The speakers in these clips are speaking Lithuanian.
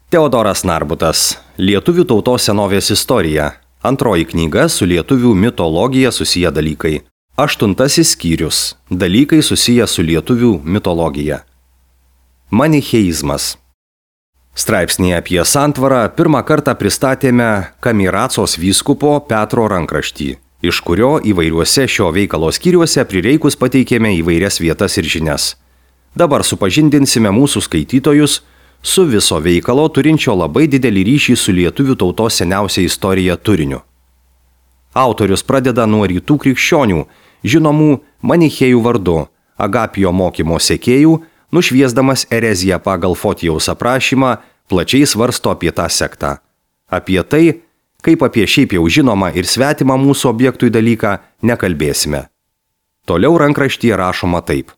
Teodoras Narbutas. Lietuvių tautos senovės istorija. Antroji knyga su lietuvių mitologija susiję dalykai. 8 skyrius. Dalykai susiję su lietuvių mitologija. Manicheizmas. Straipsnėje apie santvarą pirmą kartą pristatėme Kamiracos vyskupo Petro rankraštį, iš kurio įvairiuose šio veikalo skyriuose prireikus pateikėme įvairias vietas ir žinias. Dabar supažindinsime mūsų skaitytojus su viso veikalo turinčio labai didelį ryšį su lietuvių tautos seniausia istorija turiniu. Autorius pradeda nuo rytų krikščionių, žinomų manichėjų vardu, Agapijo mokymo sekėjų, nušviesdamas ereziją pagal Fotijaus aprašymą, plačiai svarsto apie tą sektą. Apie tai, kaip apie šiaip jau žinomą ir svetimą mūsų objektui dalyką, nekalbėsime. Toliau rankraštyje rašoma taip.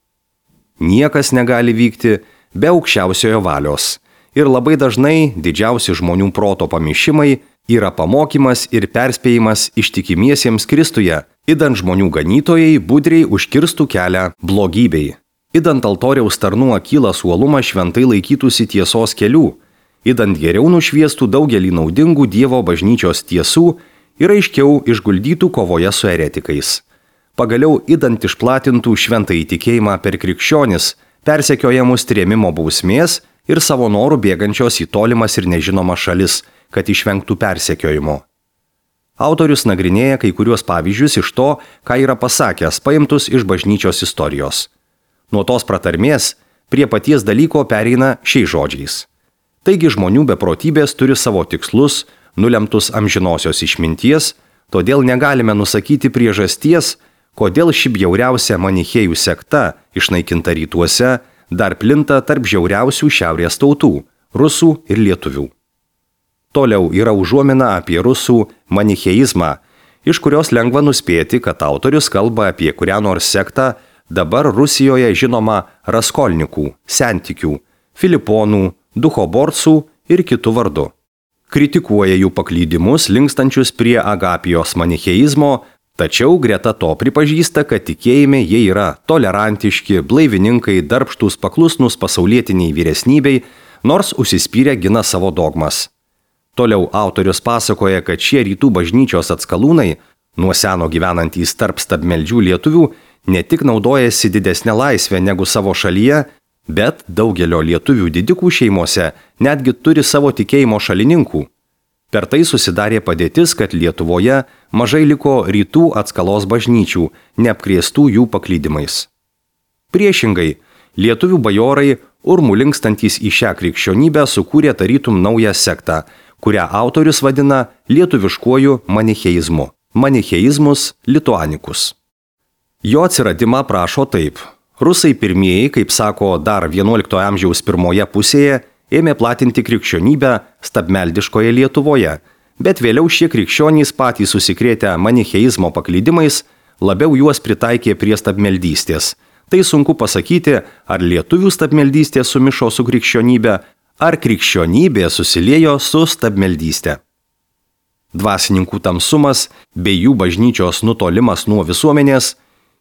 Niekas negali vykti be aukščiausiojo valios. Ir labai dažnai didžiausi žmonių proto pamišimai yra pamokymas ir perspėjimas ištikimiesiems Kristuje, idant žmonių ganytojai budriai užkirstų kelią blogybei. Idant altoriaus tarnų akylas uolumą šventai laikytųsi tiesos kelių, idant geriau nušviestų daugelį naudingų Dievo bažnyčios tiesų ir aiškiau išguldytų kovoje su eretikais. Pagaliau idant išplatintų šventąjį tikėjimą per krikščionis, persekiojamus trėmimo bausmės ir savo norų bėgančios į tolimas ir nežinomas šalis, kad išvengtų persekiojimo. Autorius nagrinėja kai kuriuos pavyzdžius iš to, ką yra pasakęs, paimtus iš bažnyčios istorijos. Nuo tos pratarmės prie paties dalyko pereina šiais žodžiais. Taigi žmonių beprotybės turi savo tikslus, nulemtus amžinosios išminties, todėl negalime nusakyti priežasties, kodėl ši bjauriausia manichėjų sekta, išnaikinta rytuose, dar plinta tarp žiauriausių šiaurės tautų – rusų ir lietuvių. Toliau yra užuomina apie rusų manicheizmą, iš kurios lengva nuspėti, kad autorius kalba apie kurią nors sektą dabar Rusijoje žinoma raskolnikų, sentikių, filiponų, duchoborcų ir kitų vardu. Kritikuoja jų paklydimus linkstančius prie Agapijos manicheizmo, tačiau greta to pripažįsta, kad tikėjime jie yra tolerantiški, blaivininkai, darbštūs, paklusnūs pasaulietiniai vyresnybei, nors užsispyrę gina savo dogmas. Toliau autorius pasakoja, kad šie rytų bažnyčios atskalūnai, nuo seno gyvenantys tarp stabmeldžių lietuvių, ne tik naudojasi didesnę laisvę negu savo šalyje, bet daugelio lietuvių didikų šeimose netgi turi savo tikėjimo šalininkų. Per tai susidarė padėtis, kad Lietuvoje mažai liko rytų atskalos bažnyčių, neapkrėstų jų paklydimais. Priešingai, lietuvių bajorai, urmu linkstantys į šią krikščionybę, sukūrė tarytum naują sektą, kurią autorius vadina lietuviškuoju manicheizmu. Manicheizmus lituanikus. Jo atsiradimą prašo taip. Rusai pirmieji, kaip sako dar 11 amžiaus pirmoje pusėje, ėmė platinti krikščionybę stabmeldiškoje Lietuvoje, bet vėliau šie krikščionys patys susikrėtę manicheizmo paklydimais labiau juos pritaikė prie stabmeldystės. Tai sunku pasakyti, ar lietuvių stabmeldystė sumišo su krikščionybė, ar krikščionybė susiliejo su stabmeldystė. Dvasininkų tamsumas bei jų bažnyčios nutolimas nuo visuomenės,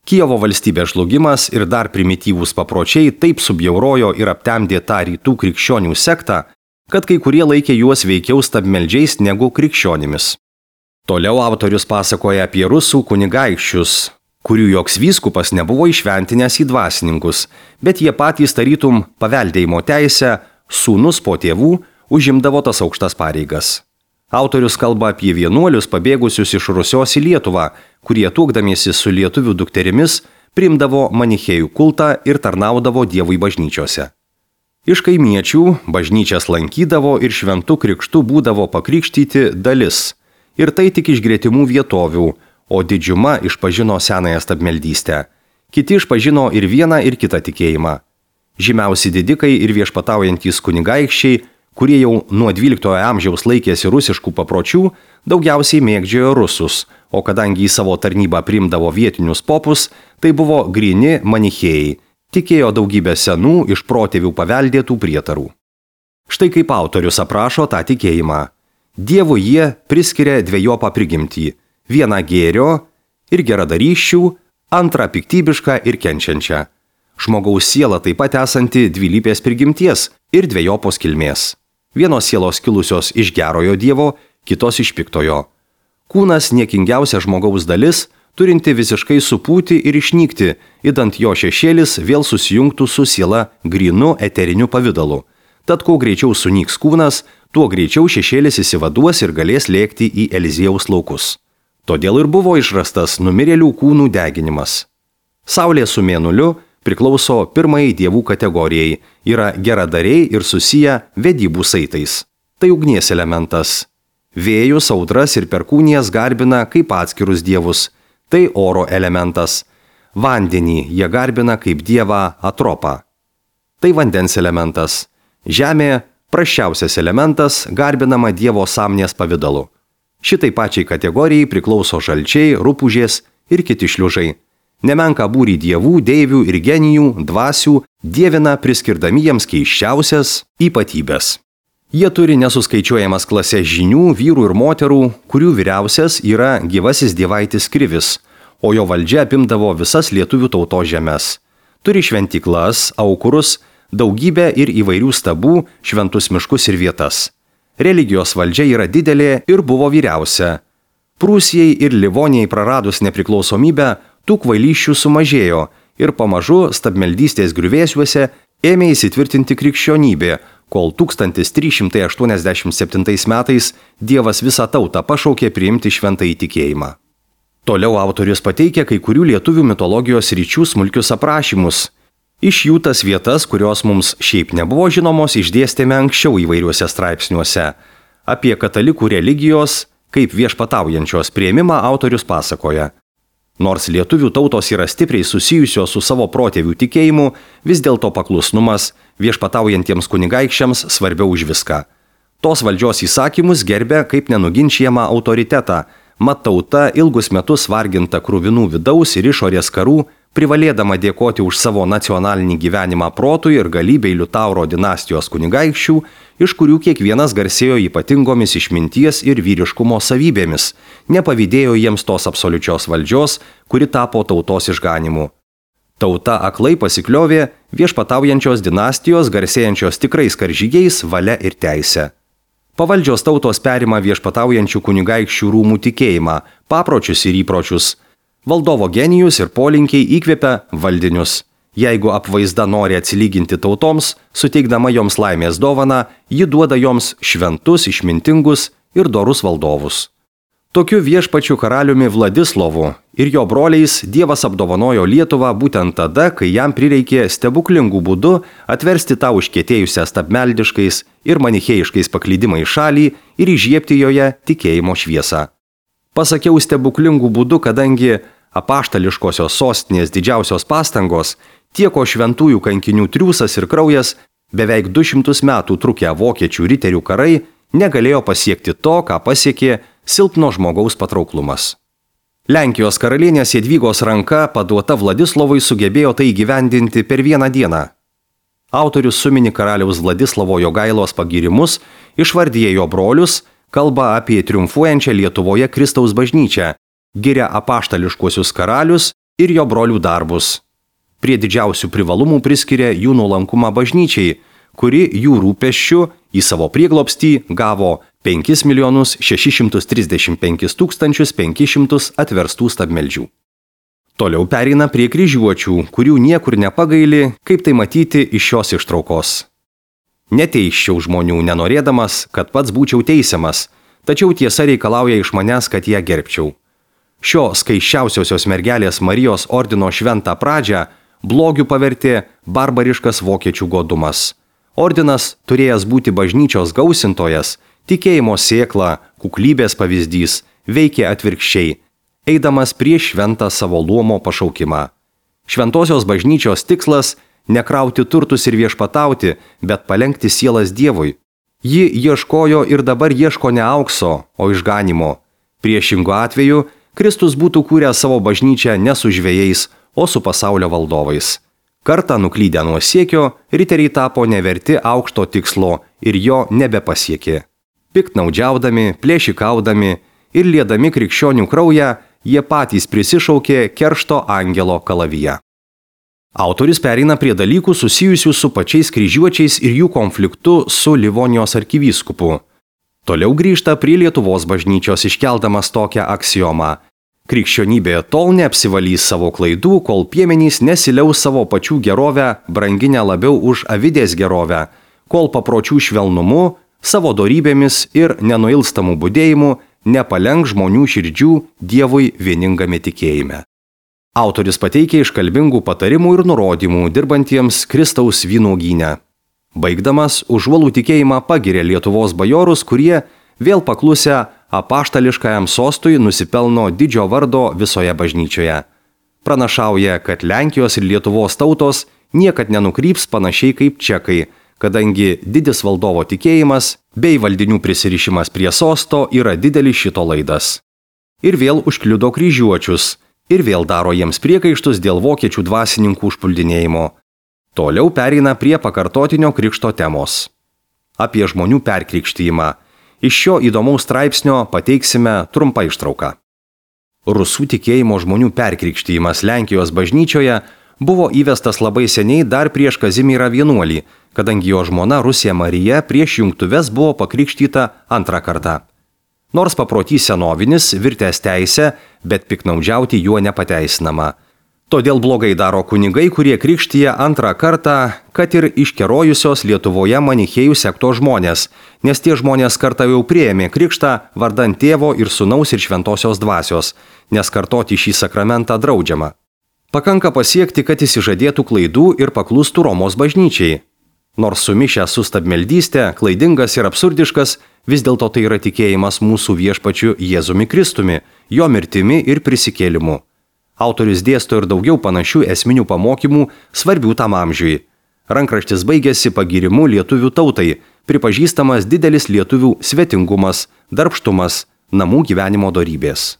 Kijevo valstybės žlugimas ir dar primityvūs papročiai taip subjaurojo ir aptemdė tą rytų krikščionių sektą, kad kai kurie laikė juos veikiau stabmeldžiais negu krikščionimis. Toliau autorius pasakoja apie rusų kunigaikščius, kurių joks vyskupas nebuvo išventinęs į dvasininkus, bet jie patys tarytum paveldėjimo teisę, sūnus po tėvų, užimdavo tas aukštas pareigas. Autorius kalba apie vienuolius pabėgusius iš Rusios į Lietuvą, kurie tuokdamiesi su lietuvių dukterimis priimdavo manichėjų kultą ir tarnaudavo Dievui bažnyčiose. Iš kaimiečių bažnyčias lankydavo ir šventų krikštų būdavo pakrikštyti dalis, ir tai tik iš gretimų vietovių, o didžiuma išpažino senąją stabmeldystę. Kiti išpažino ir vieną ir kitą tikėjimą. Žymiausi didikai ir viešpataujantys kunigaikščiai, kurie jau nuo 12 amžiaus laikėsi rusiškų papročių, daugiausiai mėgdžiojo rusus, o kadangi į savo tarnybą priimdavo vietinius popus, tai buvo gryni manichėjai, tikėjo daugybę senų iš protėvių paveldėtų prietarų. Štai kaip autorius aprašo tą tikėjimą. Dievui jie priskiria dvejopą prigimtį, vieną gėrio ir geradarysčių, antrą piktybišką ir kenčiančią. Žmogaus siela taip pat esanti dvilypės prigimties ir dvejopos kilmės. Vienos sielos kilusios iš gerojo Dievo, kitos iš piktojo. Kūnas niekingiausia žmogaus dalis, turinti visiškai supūti ir išnykti, idant jo šešėlis vėl susijungtų su siela grynu eteriniu pavidalu. Tad kuo greičiau sunyks kūnas, tuo greičiau šešėlis įsivaduos ir galės lėkti į Eliziejaus laukus. Todėl ir buvo išrastas numirėlių kūnų deginimas. Saulė su mėnuliu priklauso pirmai dievų kategorijai, yra geradariai ir susiję vedybų saitais. Tai ugnies elementas. Vėjus, audras ir perkūnijas garbina kaip atskirus dievus. Tai oro elementas. Vandenį jie garbina kaip dievą Atropą. Tai vandens elementas. Žemė, prasčiausias elementas, garbinama dievo sąmonės pavidalu. Šitai pačiai kategorijai priklauso žalčiai, rupūžės ir kiti šliužai. Nemenka būrį dievų, deivių ir genijų, dvasių dievina priskirdami jiems keiščiausias ypatybės. Jie turi nesuskaičiuojamas klases žinių, vyrų ir moterų, kurių vyriausias yra gyvasis dievaitis Krivis, o jo valdžia apimdavo visas lietuvių tautos žemes. Turi šventyklas, aukurus, daugybę ir įvairių stabų, šventus miškus ir vietas. Religijos valdžia yra didelė ir buvo vyriausia. Prūsijai ir Livonijai praradus nepriklausomybę, tų kvailysčių sumažėjo ir pamažu stabmeldystės griuvėsiuose ėmė įsitvirtinti krikščionybė, kol 1387 metais Dievas visą tautą pašaukė priimti šventąjį tikėjimą. Toliau autorius pateikia kai kurių lietuvių mitologijos ryčių smulkius aprašymus. Iš jų tas vietas, kurios mums šiaip nebuvo žinomos, išdėstėme anksčiau įvairiuose straipsniuose. Apie katalikų religijos, kaip viešpataujančios priėmimą autorius pasakoja. Nors lietuvių tautos yra stipriai susijusios su savo protėvių tikėjimu, vis dėlto paklusnumas viešpataujantiems kunigaikščiams svarbiau už viską. Tos valdžios įsakymus gerbė kaip nenuginčiamą autoritetą, mat tauta ilgus metus varginta kruvinų vidaus ir išorės karų, privalėdama dėkoti už savo nacionalinį gyvenimą protui ir galybei Liutauro dinastijos kunigaikščių, iš kurių kiekvienas garsėjo ypatingomis išminties ir vyriškumo savybėmis, nepavydėjo jiems tos absoliučios valdžios, kuri tapo tautos išganimu. Tauta aklai pasikliovė viešpataujančios dinastijos garsėjančios tikrais karžygiais, valia ir teise. Pavaldžios tautos perima viešpataujančių kunigaikščių rūmų tikėjimą, papročius ir įpročius. Valdovo genijus ir polinkiai įkvepia valdinius. Jeigu apvaizda nori atsilyginti tautoms, suteikdama joms laimės dovaną, ji duoda joms šventus, išmintingus ir dorus valdovus. Tokiu viešpačiu karaliumi Vladislovu ir jo broliais Dievas apdovanojo Lietuvą būtent tada, kai jam prireikė stebuklingų būdų atversti tą užkietėjusią stabmeldiškais ir manichėjiškais paklydimais šalį ir įžiebti joje tikėjimo šviesą. Pasakiau stebuklingų būdų, kadangi apaštališkosios sostinės didžiausios pastangos, tieko šventųjų kankinių triūsas ir kraujas, beveik 200 metų trukę vokiečių riterių karai negalėjo pasiekti to, ką pasiekė silpno žmogaus patrauklumas. Lenkijos karalienės Jadvygos ranka paduota Vladislovui sugebėjo tai įgyvendinti per vieną dieną. Autorius sumini karaliaus Vladislavo Jogailos pagyrimus, išvardyja jo brolius, kalba apie triumfuojančią Lietuvoje Kristaus bažnyčią, giria apaštališkuosius karalius ir jo brolių darbus. Prie didžiausių privalumų priskiria jų nuolankumą bažnyčiai, kuri jų rūpesčių į savo prieglobstį gavo 5 635 500 atverstų stabmeldžių. Toliau pereina prie kryžiuočių, kurių niekur nepagaili, kaip tai matyti iš šios ištraukos. Neteisčiau žmonių, nenorėdamas, kad pats būčiau teisiamas, tačiau tiesa reikalauja iš manęs, kad ją gerbčiau. Šio skaiščiausiosios mergelės Marijos ordino šventą pradžią blogiu pavertė barbariškas vokiečių godumas. Ordinas, turėjęs būti bažnyčios gausintojas, tikėjimo sėkla, kuklybės pavyzdys, veikė atvirkščiai, eidamas prieš šventą savo luomo pašaukimą. Šventosios bažnyčios tikslas – nekrauti turtus ir viešpatauti, bet palenkti sielas Dievui. Ji ieškojo ir dabar ieško ne aukso, o išganimo. Priešingu atveju, Kristus būtų kūręs savo bažnyčią ne su žvejais, o su pasaulio valdovais. Kartą nuklydę nuo siekio, riteriai tapo neverti aukšto tikslo ir jo nebepasiekė. Piktnaudžiaudami, plėšikaudami ir liedami krikščionių kraują, jie patys prisišaukė keršto angelo kalaviją. Autorius pereina prie dalykų susijusių su pačiais kryžiuočiais ir jų konfliktu su Livonijos arkivyskupu. Toliau grįžta prie Lietuvos bažnyčios iškeldamas tokią aksiomą. Krikščionybė tol neapsivalys savo klaidų, kol piemenys nesiliaus savo pačių gerovę, branginę labiau už avidės gerovę, kol papročių švelnumu, savo dorybėmis ir nenuilstamų budėjimu nepalenk žmonių širdžių Dievui vieningame tikėjime. Autorius pateikia iškalbingų patarimų ir nurodymų dirbantiems Kristaus vynuogyne. Baigdamas, užuolų tikėjimą pagiria Lietuvos bajorus, kurie, vėl paklusę apaštališkajam sostui, nusipelno didžio vardo visoje bažnyčioje. Pranašauja, kad Lenkijos ir Lietuvos tautos niekad nenukryps panašiai kaip čekai, kadangi didis valdovo tikėjimas bei valdinių prisirišimas prie sosto yra didelis šito laidas. Ir vėl užkliudo kryžiuočius, ir vėl daro jiems priekaištus dėl vokiečių dvasininkų užpuldinėjimo. Toliau pereina prie pakartotinio krikšto temos. Apie žmonių perkrikštijimą. Iš šio įdomaus straipsnio pateiksime trumpą ištrauką. Rusų tikėjimo žmonių perkrikštijimas Lenkijos bažnyčioje buvo įvestas labai seniai dar prieš Kazimierą Vienuolį, kadangi jo žmona Rusija Marija prieš jungtuves buvo pakrikštyta antrą kartą. Nors paprotys senovinis, virtęs teisę, bet piknaudžiauti juo nepateisinama. Todėl blogai daro kunigai, kurie krikštyja antrą kartą, kad ir iškerojusios Lietuvoje manichėjų sektos žmonės, nes tie žmonės kartą jau priėmė krikštą vardan Tėvo ir Sūnaus ir Šventosios dvasios, nes kartoti šį sakramentą draudžiama. Pakanka pasiekti, kad išsižadėtų klaidų ir paklustų Romos bažnyčiai. Nors sumišęs su stabmeldystė, klaidingas ir absurdiškas, vis dėlto tai yra tikėjimas mūsų viešpačiu Jėzumi Kristumi, jo mirtimi ir prisikėlimu. Autorius dėsto ir daugiau panašių esminių pamokymų svarbių tam amžiui. Rankraštis baigėsi pagirimu lietuvių tautai, pripažįstamas didelis lietuvių svetingumas, darbštumas, namų gyvenimo dorybės.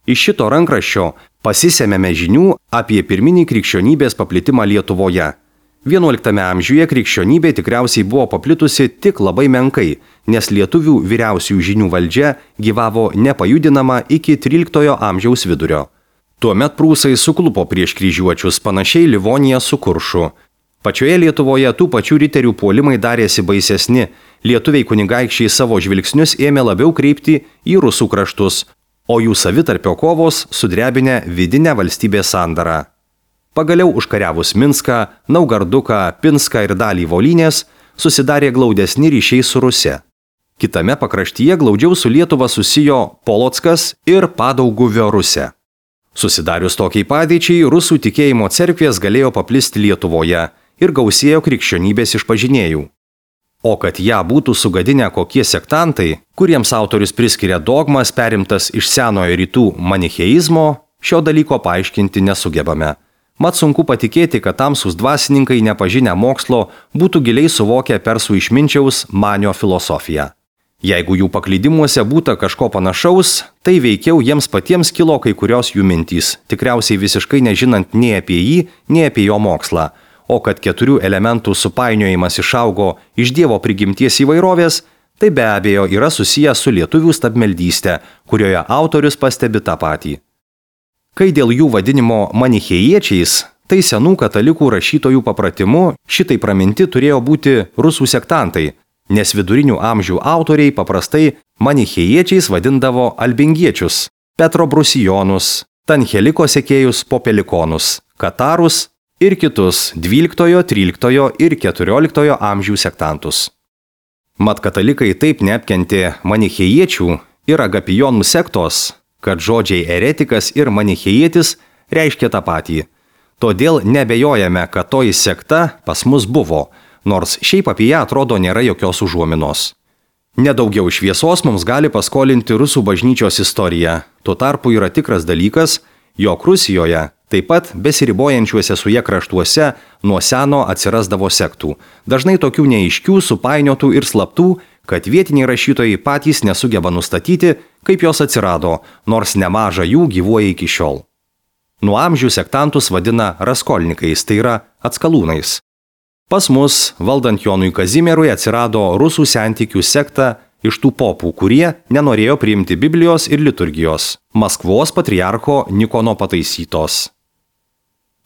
Iš šito rankraščio pasisėmėme žinių apie pirminį krikščionybės paplitimą Lietuvoje. 11 amžiuje krikščionybė tikriausiai buvo paplitusi tik labai menkai, nes lietuvių vyriausiųjų žinių valdžia gyvavo nepajudinama iki 13 amžiaus vidurio. Tuomet prūsai suklupo prieš kryžiuočius, panašiai Livonija su Kuršu. Pačioje Lietuvoje tų pačių riterių puolimai darėsi baisesni, lietuviai kunigaikščiai savo žvilgsnius ėmė labiau kreipti į rusų kraštus, o jų savitarpio kovos sudrebinę vidinę valstybės sandarą. Pagaliau užkariavus Minską, Naugarduką, Pinską ir dalį Volynės, susidarė glaudesni ryšiai su Ruse. Kitame pakraštyje glaudžiau su Lietuva susijo Polockas ir Padauguvio Rusė. Susidarius tokiai padėčiai, rusų tikėjimo cerkvės galėjo paplisti Lietuvoje ir gausėjo krikščionybės išpažinėjų. O kad ją būtų sugadinę kokie sektantai, kuriems autorius priskiria dogmas perimtas iš senojo rytų manicheizmo, šio dalyko paaiškinti nesugebame. Mat sunku patikėti, kad tamsūs dvasininkai nepažinę mokslo būtų giliai suvokę persų išminčiaus Manio filosofiją. Jeigu jų paklydimuose būta kažko panašaus, tai veikiau jiems patiems kilo kai kurios jų mintys, tikriausiai visiškai nežinant nei apie jį, nei apie jo mokslą, o kad 4 elementų supainiojimas išaugo iš Dievo prigimties įvairovės, tai be abejo yra susijęs su lietuvių stabmeldystė, kurioje autorius pastebi tą patį. Kai dėl jų vadinimo manichėjiečiais, tai senų katalikų rašytojų papratimu šitai praminti turėjo būti rusų sektantai, nes vidurinių amžių autoriai paprastai manichėjiečiais vadindavo albingiečius, Petro Brusijonus, Tancheliko sekėjus Popelikonus, Katarus ir kitus 12, 13 ir 14 amžių sektantus. Mat katalikai taip neapkentė manichėjiečių ir agapijonų sektos, kad žodžiai eretikas ir manichėjietis reiškia tą patį. Todėl nebejojame, kad toji sekta pas mus buvo, nors šiaip apie ją atrodo nėra jokios užuominos. Nedaugiau šviesos mums gali paskolinti rusų bažnyčios istorija. Tuo tarpu yra tikras dalykas, jog Rusijoje, taip pat besiribojančiuose su jie kraštuose, nuo seno atsirasdavo sektų. Dažnai tokių neaiškių, supainiotų ir slaptų, kad vietiniai rašytojai patys nesugeba nustatyti, kaip jos atsirado, nors nemaža jų gyvuoja iki šiol. Nuo amžių sektantus vadina raskolnikais, tai yra atskalūnais. Pas mus, valdant Jonui Kazimierui, atsirado rusų sentikių sekta iš tų popų, kurie nenorėjo priimti Biblijos ir liturgijos, Maskvos patriarcho Nikono pataisytos.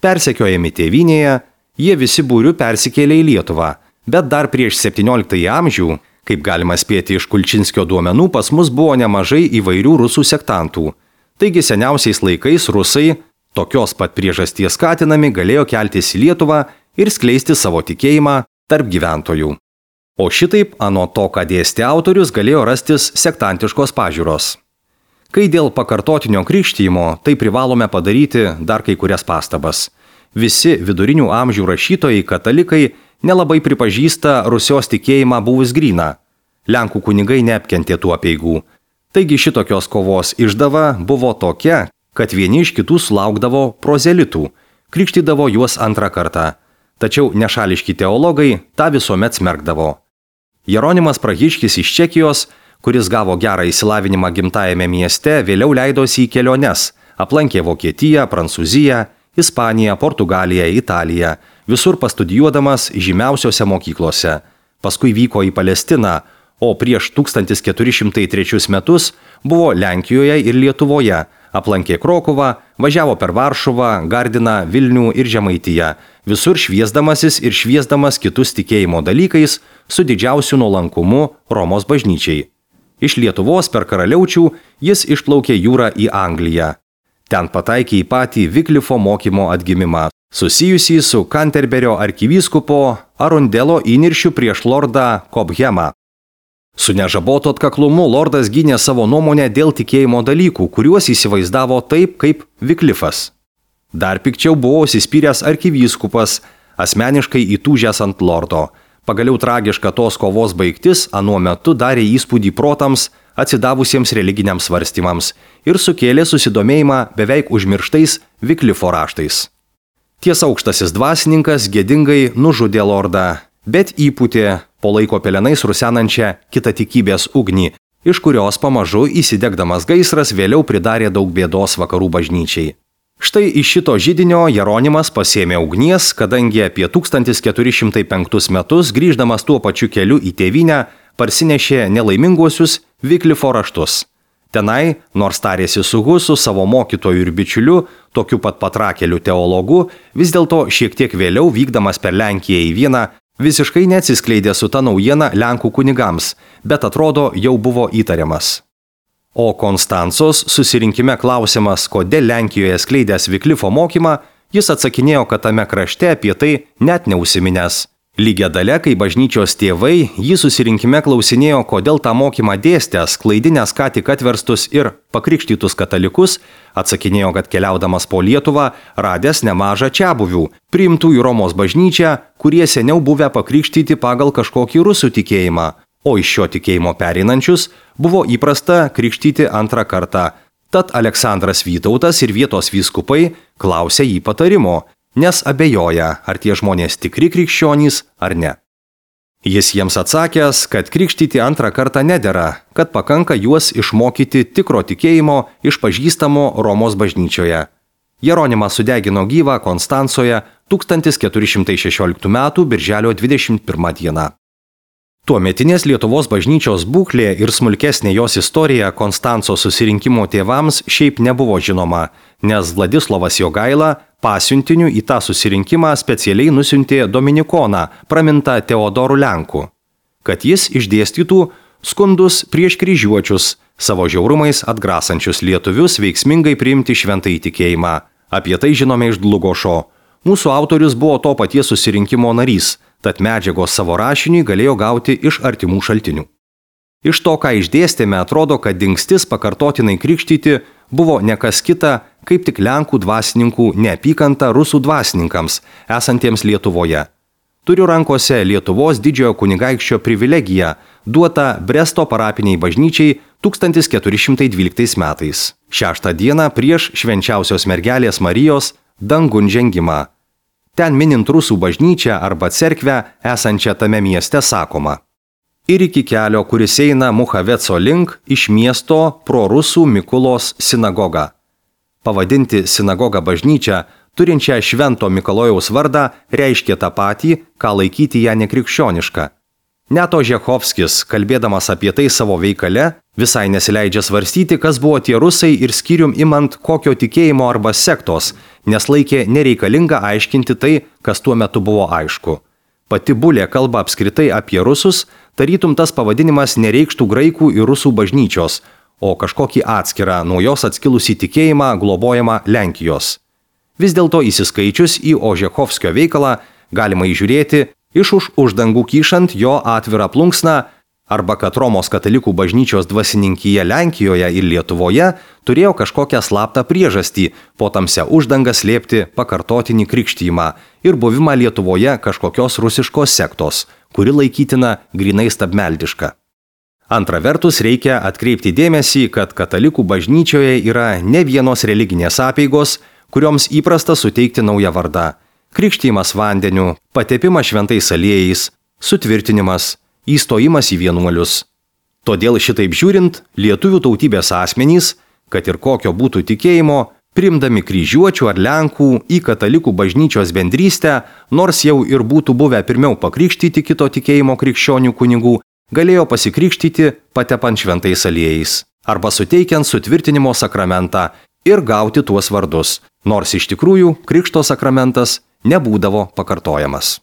Persekiojami tėvynėje, jie visi būriu persikėlė į Lietuvą, bet dar prieš 17 amžių, kaip galima spėti iš Kulčinskio duomenų, pas mus buvo nemažai įvairių rusų sektantų. Taigi seniausiais laikais rusai, tokios pat priežasties skatinami, galėjo keltis į Lietuvą ir skleisti savo tikėjimą tarp gyventojų. O šitaip, anot to, ką dėstė autorius, galėjo rastis sektantiškos pažiūros. Kai dėl pakartotinio krikštijimo, tai privalome padaryti dar kai kurias pastabas. Visi vidurinių amžių rašytojai katalikai nelabai pripažįsta Rusios tikėjimą buvus gryną. Lenkų kunigai neapkentė tų apeigų. Taigi šitokios kovos išdava buvo tokia, kad vieni iš kitų sulaukdavo prozelitų, krikštydavo juos antrą kartą. Tačiau nešališki teologai tą visuomet smerkdavo. Jeronimas Prahiškis iš Čekijos, kuris gavo gerą išsilavinimą gimtajame mieste, vėliau leidosi į keliones, aplankė Vokietiją, Prancūziją, Ispaniją, Portugaliją, Italiją, visur pastudijuodamas žymiausiose mokyklose. Paskui vyko į Palestiną, o prieš 1403 metus buvo Lenkijoje ir Lietuvoje, aplankė Krokuvą, važiavo per Varšuvą, Gardiną, Vilnių ir Žemaitiją, visur šviesdamasis ir šviesdamas kitus tikėjimo dalykais su didžiausiu nuolankumu Romos bažnyčiai. Iš Lietuvos per Karaliaučių jis išplaukė jūrą į Angliją. Ten pataikė į patį Viklifo mokymo atgimimą, susijusį su Kanterberio arkivyskupo Arundelo įniršiu prieš lordą Cobhamą. Su nežabotu atkaklumu lordas gynė savo nuomonę dėl tikėjimo dalykų, kuriuos įsivaizdavo taip kaip Viklifas. Dar pikčiau buvo užsispyręs arkivyskupas, asmeniškai įtūžęs ant lordo. Pagaliau tragiška tos kovos baigtis anuo metu darė įspūdį protams atsidavusiems religiniams svarstymams ir sukėlė susidomėjimą beveik užmirštais Viklifo raštais. Ties aukštasis dvasininkas gėdingai nužudė lordą, bet įpūtė po laiko pelenais rusenančią kitatikybės ugnį, iš kurios pamažu įsidegdamas gaisras vėliau pridarė daug bėdos vakarų bažnyčiai. Štai iš šito židinio Jeronimas pasėmė ugnies, kadangi apie 1405 metus, grįždamas tuo pačiu keliu į tėvynę, parsinešė nelaiminguosius Viklifo raštus. Tenai, nors tarėsi su Husu, savo mokytoju ir bičiuliu, tokiu pat patrakeliu teologu, vis dėlto šiek tiek vėliau, vykdamas per Lenkiją į Vieną, visiškai neatsiskleidė su ta naujiena Lenkų kunigams, bet atrodo jau buvo įtariamas. O Konstancos susirinkime klausimas, kodėl Lenkijoje skleidęs Viklifo mokymą, jis atsakinėjo, kad tame krašte apie tai net neužsiminęs. Lygia dalia, kai bažnyčios tėvai jį susirinkime klausinėjo, kodėl tą mokymą dėstęs, klaidinęs ką tik atverstus ir pakrikštytus katalikus, atsakinėjo, kad keliaudamas po Lietuvą, radęs nemažą čiabuvių, priimtų į Romos bažnyčią, kurie seniau buvę pakrikštyti pagal kažkokį rusų tikėjimą, o iš šio tikėjimo pereinančius buvo įprasta krikštyti antrą kartą. Tad Aleksandras Vytautas ir vietos vyskupai klausė jį patarimo, nes abejoja, ar tie žmonės tikri krikščionys ar ne. Jis jiems atsakęs, kad krikštyti antrą kartą nedera, kad pakanka juos išmokyti tikro tikėjimo išpažįstamo Romos bažnyčioje. Jeronimą sudegino gyvą Konstancoje 1416 m. birželio 21 d. Tuometinės Lietuvos bažnyčios būklė ir smulkesnė jos istorija Konstanco susirinkimo tėvams šiaip nebuvo žinoma, nes Vladislovas Jogaila pasiuntiniu į tą susirinkimą specialiai nusiuntė dominikoną, pramintą Teodoru Lenku, kad jis išdėstytų skundus prieš kryžiuočius, savo žiaurumais atgrasančius lietuvius veiksmingai priimti šventąjį tikėjimą. Apie tai žinome iš Dlugošo. Mūsų autorius buvo to paties susirinkimo narys, tad medžiagos savo rašiniui galėjo gauti iš artimų šaltinių. Iš to, ką išdėstėme, atrodo, kad dingstis pakartotinai krikštyti buvo ne kas kita, kaip tik Lenkų dvasininkų neapykanta rusų dvasininkams, esantiems Lietuvoje. Turiu rankose Lietuvos didžiojo kunigaikščio privilegiją, duotą Bresto parapiniai bažnyčiai 1412 metais. 6 dieną prieš švenčiausios mergelės Marijos dangun žengimą. Ten minint rusų bažnyčią arba cerkvę esančią tame mieste sakoma: ir iki kelio, kuris eina Muchaveco link, iš miesto pro rusų Mikulos sinagogą. Pavadinti sinagogą bažnyčią, turinčią Švento Mikalojaus vardą, reiškia tą patį, ką laikyti ją nekrikščionišką. Net Ožechovskis, kalbėdamas apie tai savo veikale, visai nesileidžia svarstyti, kas buvo tie rusai ir skyrium imant kokio tikėjimo arba sektos, nes laikė nereikalinga aiškinti tai, kas tuo metu buvo aišku. Pati bulė kalba apskritai apie rusus, tarytum tas pavadinimas nereikštų graikų ir rusų bažnyčios, o kažkokį atskirą nuo jos atskilusį tikėjimą globojamą Lenkijos. Vis dėlto įsiskaičius į Ožechovskio veikalą galima įžiūrėti iš už uždangų kyšant jo atvirą plunksną, arba kad Romos katalikų bažnyčios dvasininkyje Lenkijoje ir Lietuvoje turėjo kažkokią slaptą priežastį po tamsia uždangą slėpti pakartotinį krikštijimą ir buvimą Lietuvoje kažkokios rusiškos sektos, kuri laikytina grinai stabmeldiška. Antra vertus, reikia atkreipti dėmesį, kad katalikų bažnyčioje yra ne vienos religinės apeigos, kurioms įprasta suteikti naują vardą – krikštijimas vandeniu, patepimas šventais aliejais, sutvirtinimas, įstojimas į vienuolius. Todėl šitaip žiūrint, lietuvių tautybės asmenys, kad ir kokio būtų tikėjimo, priimdami kryžiuočių ar lenkų į katalikų bažnyčios bendrystę, nors jau ir būtų buvę pirmiau pakrikštyti kito tikėjimo krikščionių kunigų, galėjo pasikrikštyti patepant šventais aliejais arba suteikiant sutvirtinimo sakramentą ir gauti tuos vardus, nors iš tikrųjų krikšto sakramentas nebūdavo pakartojamas.